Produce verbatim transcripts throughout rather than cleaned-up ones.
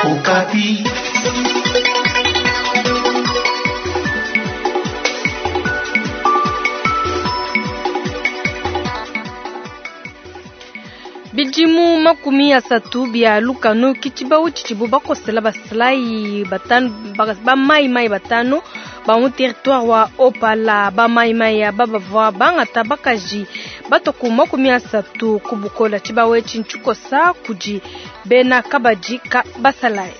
Okapi. Bidimu makumi asatu bia lukanu ke tshibawu tshidibu bakosela basalayi batanu ba mai mai batanu ba mu territoire wa Opala. Ba mai mai aba bavua bangata bakaji batua ku makumi asatu ku bukola. Tshibawu etshi ntshikosa kudi bena kabadi ka basalayi.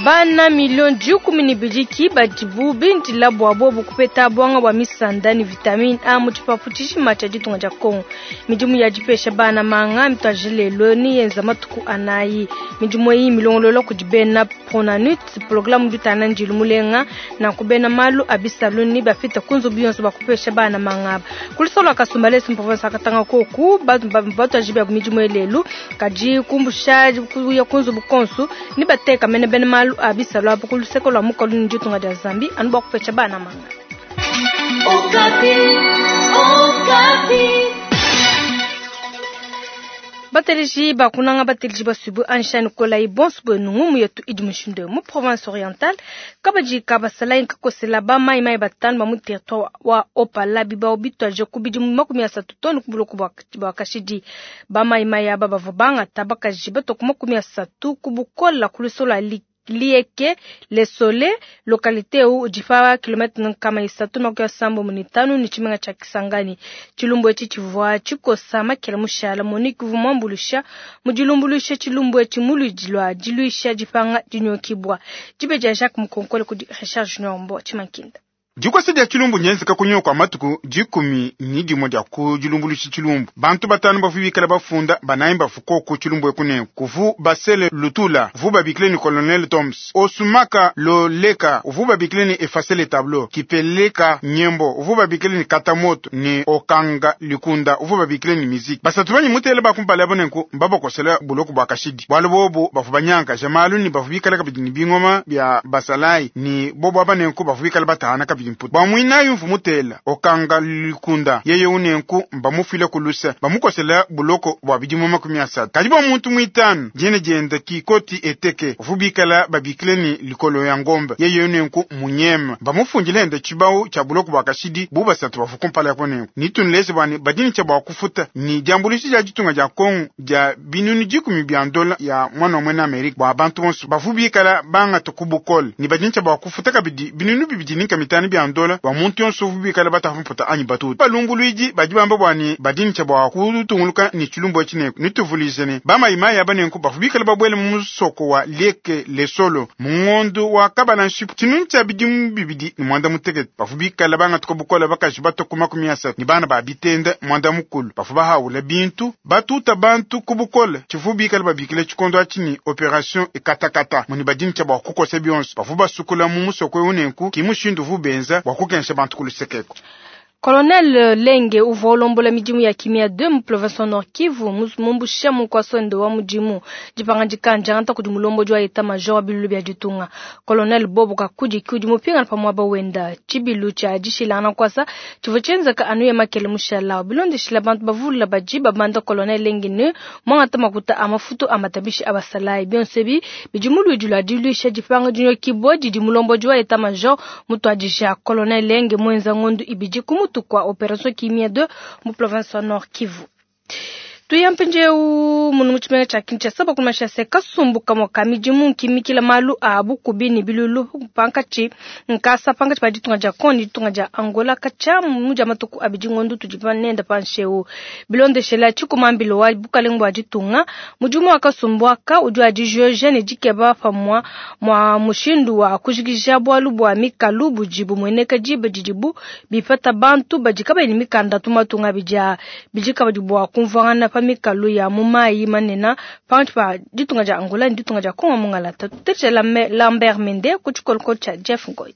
Bana milioni dikumi ne ibidi ki badibu bindila bua bobu kupeta buanga bua misanda ne vitamine A mu tshipapu tshijima tshia ditunga dia Kongo. Midimu ya dipesha bana manga mituadije lelo ne yenza matuku anayi. Midimu eyi milongolola kudi bena Pronanut, programme udi utana ndilu mulenga nanku bena malu a bisalu ne bafita ku nzubu yonso bakupesha bana manga aba. Ku lusolo lua Kasumbalesa mu province ya Katanga koku, batu batuadije biabu midimu eyi lelu, kadi kumbusha kuya ku nzubu konso ne bateka mene bena malu a bisalu abu ku luseke lua mukalu ne ditunga dia Zambie anu bua kupesha bana manga. Okapi, Okapi. Bateleji bakunanga bateleji basubu anshani kolai bonso bwenu ngumu yetu idi mushindu mu province orientale kabadi ka basalayi nkakosela ba mai mai batanu ba mu territoire wa Opala bibao bitwaje ku bidimu makumi asatu tonu ku buloko bua kashidi. Ba mai mai aba bavua bangata bakaji batua ku makumi asatu ku bukola ku lusolo lua Lieke Le Soleil, localité u udi pa kilomètre nkama isatu makumi asambo mu mitanu ne tshimenga tshia Kisangani. Tshilumbu etshi tshivua tshikosa makela mushala Monique uvua muambuluisha mu dilumbuluisha tshilumbu etshi mu luidi lua diluisha dipanga dinyokibua. Dibe dia Jacques Mukonkole kudi Richard Junior Mbo Tshimankinda. Dikosa dia tshilumbu nyenzeka kunyima kua matuku dikumi ni dimue dia ku dilumbuluisha tshilumbu. Bantu batanu bavu bikala bafunda banayi bafu koku tshilumbu eku ne kuvu Basele Lutula vu babikile ni Colonel Toms Osumaka Loleka vu babikile ni Effacer le tableau Kipeleka Nyembo vu babikile ni Katamoto ni Okanga Likunda vu babikile ni Musique. Basatu banyi mutele bakumpala abo nenku mbabakosela buloko bua kashidi. Bualu bobu bavu banyanka jamalu ni bavu bikala kabidi ni bingoma bia basalayi ni bobu aba nenku bavu bikala batahana kabidi mputu. Bua muinayi mvu mutela Okanga Likunda yeye unenku mbamufile kulusa bamukosela buloko bua bidimu makumi asatu. Kadi bua muntu muitanu diene dienda kikoti eteke uvu bikala babikile ni likolo ya ngombe yeye unenku munyema bamufundile enda tshibawu tshia buloko bua kashidi bu basatu bavu kumpala yako nenku. Nitunuleze bua ne badini tshia bua kufuta ni diambuluisha dia ditunga dia Kongo dia binunu dikumi bia ndola ya mwana wa mwena Amerika bua bantu bonso bavu bikala bangata ku bukole ni badini tshia bua kufuta kabidi binunu bibidi ni mitanu bia ndola bua muntu yonso uvu bikala batafa mputa anyi batuta. Balumbuluidi badi bamba bua ne badini tshia bua kutunguluka ni tshilumbu etshi nenku. Nituvulize ne bamayimayi aba nenku bavu bikala babuele mu musoko wa Lieke Lesolo mu ngondo wa kabala nshipu tshinunu tshia bidimu bibidi ne muanda mutekete bavu bikala bangatuka bukola bakaji batua ku makumi asatu ne bana ba bitenda muanda mukulu bavu bahaula bintu batuta bantu ku bukole tshivu bikala babikile tshikondo atshi ni operation ekatakata muni badini tshia bua kukosa bionso bavu basukula mu musoko eu nenku ki mushindu uvu benza bua kukensha bantu ku lusekeko. Colonel Lenge uvua ulombola midimu ya kimia deux mu province Nord Kivu mumbusha mu nkwaswende wa mudimu dipangadika ndiangata kudi mulombodi wa état major wa bilulu bia ditunga. Colonel Bobo Kakudi ki udi mupingana pa muaba wenda. Tshibilu tshia dishilangana nkwasa tshivua tshienzeka anu ya makele mushala. Bilondeshila bantu bavula badi babanda Colonel Lenge ne muangata makuta a mafutu a matabishi a basalayi. Bionso ebi bidi mu luidi lua diluisha dipanga dinyokibua didi mulombodi wa état major mutuadija. Colonel Lenge muenza ngondu ibidi ku mutu kwa opération Kimia deux mu province wa Nord Kivu. Tuya mpindieu munu mu tshimenga tshia Kinshasa bakumasha se kasumbu kamue ka midimu nkimikila malu a bukubi ne bilulu pankatshi nkasa pankatshi pa ditunga dia Kongo ne ditunga dia Angola katshia mu dia matuku abidi ngondu tudi nenda panshi eu. Bilondeshela tshikumambilo wa bukalenge bua ditunga, mudimu wa kasumbu aka udi wa dijoja ne dikeba pamua mua mushindu wa kujikija bualu bua mikalu budi bumueneka diba didibu bipata bantu badi kabayi ne mikanda tu matunga abidi aa. Bidi kabidi bua kumvuangana pa mikalu ya mu mayi manene pankatshi pa ditunga dia Angola ne ditunga dia Kongo mungalata. Tutetshela Lambert Mende ku tshikoloko tshia Jeff Ngoy.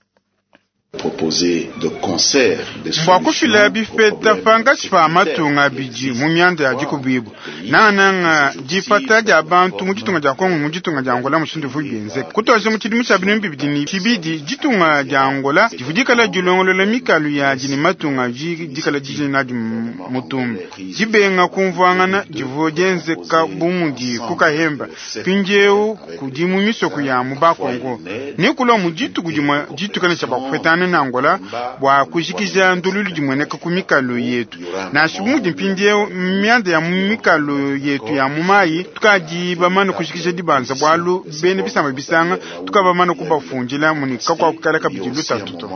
Mbua kufila bipeta pangatshi pa matunga abidi mu mianda ya dikubibu nangananga dipata dia bantu mu ditunga dia Kongo mu ditunga dia Angola mushindu uvua bienzeka kutuadija mu tshidimu tshia binunu bibidi ne tshibidi ditunga dia Angola divua dikala dilongolola mikalu yadi ne matunga dikala dijina nadi mutumba dibenga kumvuangana divua dienzeka bu mudi ku Kahemba mpindieu kudi mu misoko ya mu Bakongo ne kulua mu dituku dimue ditukana tshia bakupetana na Angola bua kujikija ndululu dimueneka ku mikalu yetu nansha bu mudi mpindieu mianda ya mu mikalu yetu ya mu mayi tukadi bamane kujikija dibanza bualu bene bisamba bisanga tukabamane kubafundila muni kakuakukala kabidi lutatu to.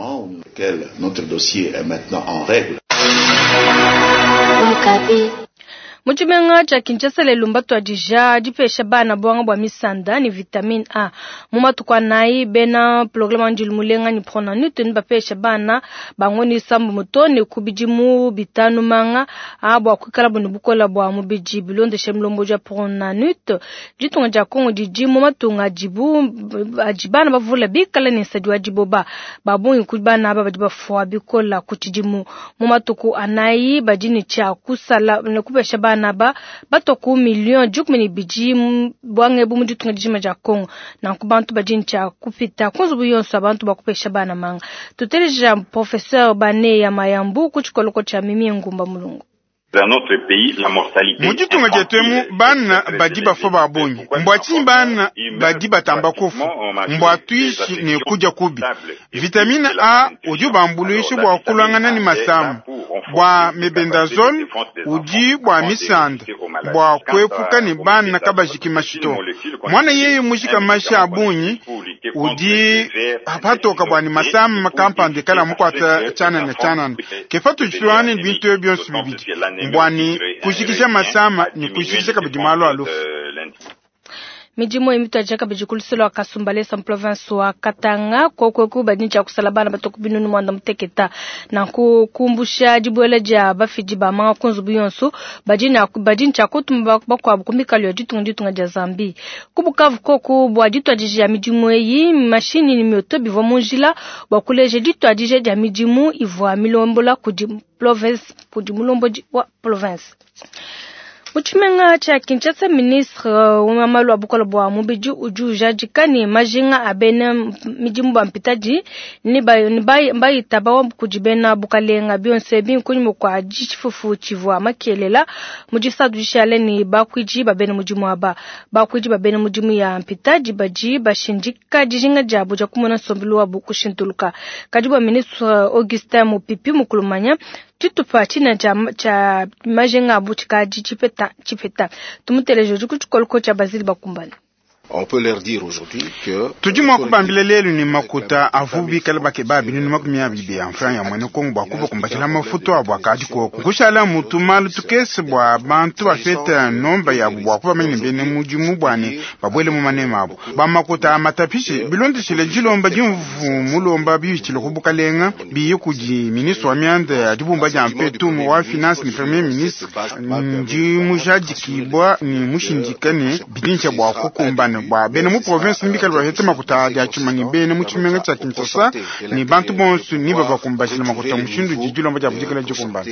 Notre dossier est maintenant en règle. Mu tshimenga tshia Kinshasa lelu mbatuadija dipesha bana buanga bua misanda ne vitamine A mu matuku anayi bena programme wa ndilu mulenga ne Pronanut ne bapesha bana bango isambu muto ne ku bidimu bitanu manga a bua kuikala ne bukola bua mubidi bilondeshe mulombodi wa Pronanut ditunga dia Kongo didi mu matunga adibu adi bana bavula bikala ne nsadi wa diboba babungi ku bana aba badi bafua bikola ku tshidimu mu matuku anayi badi ne tshia kusala ne kupesha bana ba batoku million dikumi ne bidi bwange bu mu ditunga dijima dia Kongo nanku bantu badi ne tshia kupita ku nzubu yonso abantu bakupesha bana manga tuteleja professeur Bane ya Mayambu ku tshikoloko tshia Mimi Ngumba Mulungu. Dans notre pays, la mortalité mu ditunga dietu emu bana badi bafua ba bungi mbua tshinyi bana badi batamba kufa mbua tuishi ne kudia kubi vitamine A udi ubambuluisha bua kulwangana ne masamu bua mebendazole udi bua misanda bua kuepuka ne bana kabajiki mashi to mwana yeye mujika mashi a bungi udi patoka bua ne masamu kampanda kala mukwata tshanana tshanana kefa tuditulwane ne bintu ebyo byonso bibidi mbwani kujikisha masama ni kujikisha kabidi malu a lufu. Midimu emitwaja kabidi kuluselo wa Kasumbalesa mu province wa Katanga kokweku badi tshia kusala bana batoku binunu mwanda muteketa nanku kumbusha dibuela dia bafidi ba manga ku nzubu yonso badi na badi tshia kutuma bakuabu ku mikalu ya ditunga ditunga dia Zambie ku Bukavu koku bua dituadija ya midimu eyi mashini ne mioto bivua mu njila bua kuleja dituadija dia midimu ivua milombola kudi province kudi mulombodi wa province. Mu tshimenga tshia Kinshasa ministre wa malu a bukola bua mubidi udi ujadika ne majinga a bena midimu ba mpitadi ne bayitaba kudi bena bukalenga bionso ebi nkunyima kua tshifufu tshivua makelela mu disatu dishale ne bakuidi ba bena mudimu aba bakuidi ba bena mudimu ya mpitadi badi bashindika dijinga diabu dia kumona nsombelu wabu kushintuluka kadi bua ministre Augustin Mupipi mukulumanya tshitupa tshina tshia majinga abu tshikadi tshipeta tshipeta tumuteleje udi ku tshikoloko tshia Basile Bakumbana. On peut leur dire aujourd'hui que tudi mua kubambila lelu ne makuta avu bikala bakeba binunu makumi abidi ya mfranga ya mwene Kongo bua kubakumbashila mafutu abu akadi koko nkushala mutu malu tukese bua bantu bafeta nomba yabu bua kubamanya ne bene mudimu bua ne babuele mu manema abu ba makuta matapishi bilondeshile dilomba dimvu mulomba biyitshile ku bukalenga biye kudi ministre wa mianda ya dibumba dia mpetu wa finance ne premier ministre ndi mujadikibwa ne mushindika ne bidintsha bua kukumbana bua bena mu province mbikala bafete makuta dia tshimanyi bena mu tshimenga tshia Kinshasa ne bantu bonso ni babakumbashila makuta mushindu didilomba dia budikala dikumbana.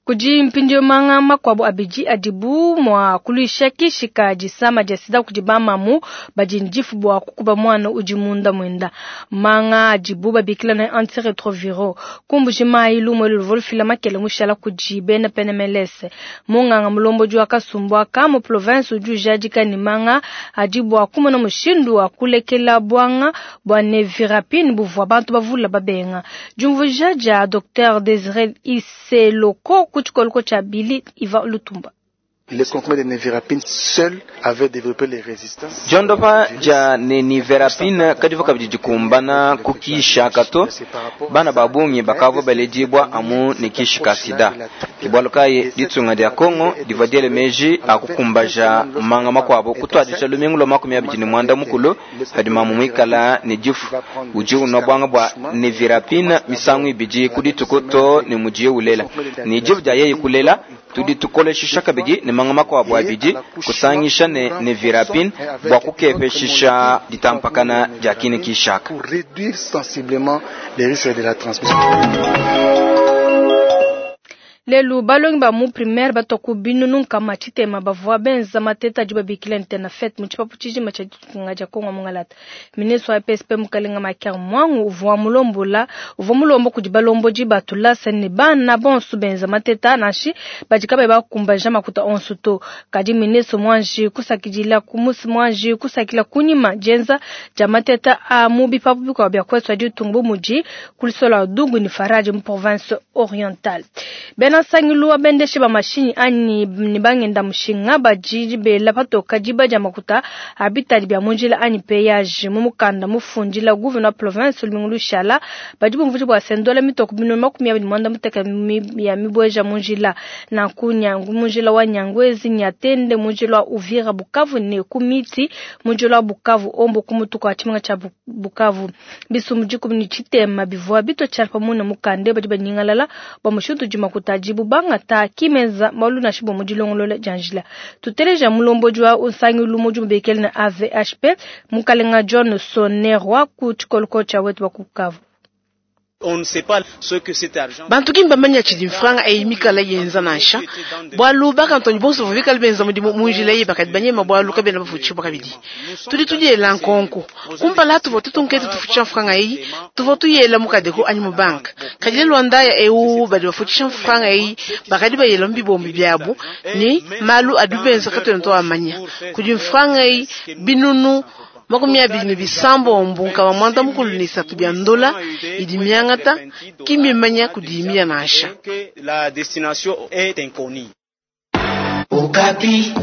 Kudi mpindieu manga makuabu abidi adibu mua kuluisha kishika disama dia sida kudi bamamu badi ndifu bua kukuba mwana udi munda mwenda manga adibu babikila na antiretroviro kumbuji mayi lumwe luvua lufila makele mushala kudi bena P N M L S munganga mulombodi wa Kasumbu aka mu province udi ujadika ne manga adibu akumona mushindu wa kulekela bwanga bua nevirapine buvua bantu bavula babenga diumvuija dia Docteur Desiré Iseloko kuchikoloko cha Billy Iva Lutumba. Les comprimés de nevirapine seuls avaient développé les résistances. Jondopa ja nevirapine kadivu kabidi dikumbana kukisha kato bana babungi bakavua baledibwa amu nikishika sida kibwalukaye ditunga dia Kongo divadiele meji akukumbaja manga makwabo kutwadisha lumingu lwa makumi abidi ne mwanda mukulu hadi mamu mwikala ne difu uji unwa bwanga bwa nevirapine misangu ibidi kudituku to ne mujiye ulela ni difu dia yeye kulela tudi tukoleshisha kabidi ne manga makuabu abidi kusangisha ne nevirapine bua kukepeshisha ditampakana dia kine kishaka. Pour réduire sensiblement les risques de la transmission. Lelu balongi ba mu primaire batoku binunu nkama tshitema bavua benza mateta adi babikila ntenafete mu tshipapu tshijima tshia ditunga dia Kongo mungalata. Ministre wa P S P Mukalenga Makiar Mwangu uvua mulombola uvua mulomba kudi balombodi ba tulasa ne bana bonso benza mateta nashi badi kabayi bakumbaja makuta onso to. Kadi ministre mwanji kusakidila ku musi mwanji kusakila kunyima dienza dia mateta a mu bipapu bikuabu bia kwetu ditunga bu mudi kulisola Dungu ni Faraji mu province orientale. Bena sangilu wa bendeshe ba mashinyi anyi ni bangenda mushinga bajiji bela patoka diba dia makuta abitali bya munjila anyi péage mu mukanda mufundila gouverneur province lumingu lushala badi bumvuji bwa sendola mitoko bino makumi abiri mwanda muteka ya mibweja munjila na kunyangu munjila wa Nyangwezi Nyatende munjila wa Uvira Bukavu ne kumiti munjila wa Bukavu ombo kumutuka chimenga cha Bukavu bisumbu dikumi ni tshitema bivua bito tshalpa muna mukande badi banyingalala ba mushindu dimakuta dibu bangata kimeza malu na shibo mudilongolola janjila tuteleja mulombodi wa usangilu mudimu bekele na A V H P mukalenga John Sonerwa ku tshikoloko tshia wetu wa Bukavu. Bantu kimba manya tshidi mfranga eyi mikala yenza nansha bwalu bakantoni bonso bikala benza mudimu munjila eyi bakadi banyema bwalu kabena bafutshiwa kabidi tudi tudiela nkonko kumpala tuvua tutunkete tufutshisha mfranga eyi tuvua tuyela mukadeko anyi mu banka kadi lelu andaya ewu badi bafutshisha mfranga eyi bakadi bayela mu bibombi biabu ni malu adi benza katuena twamanya kudi mfranga eyi binunu makumi abiri ne bisambombo nkama mwanda mukulu ne isatu bya ndola idi miangata kimimanya kudimia nansha. La destination est inconnue. Okapi.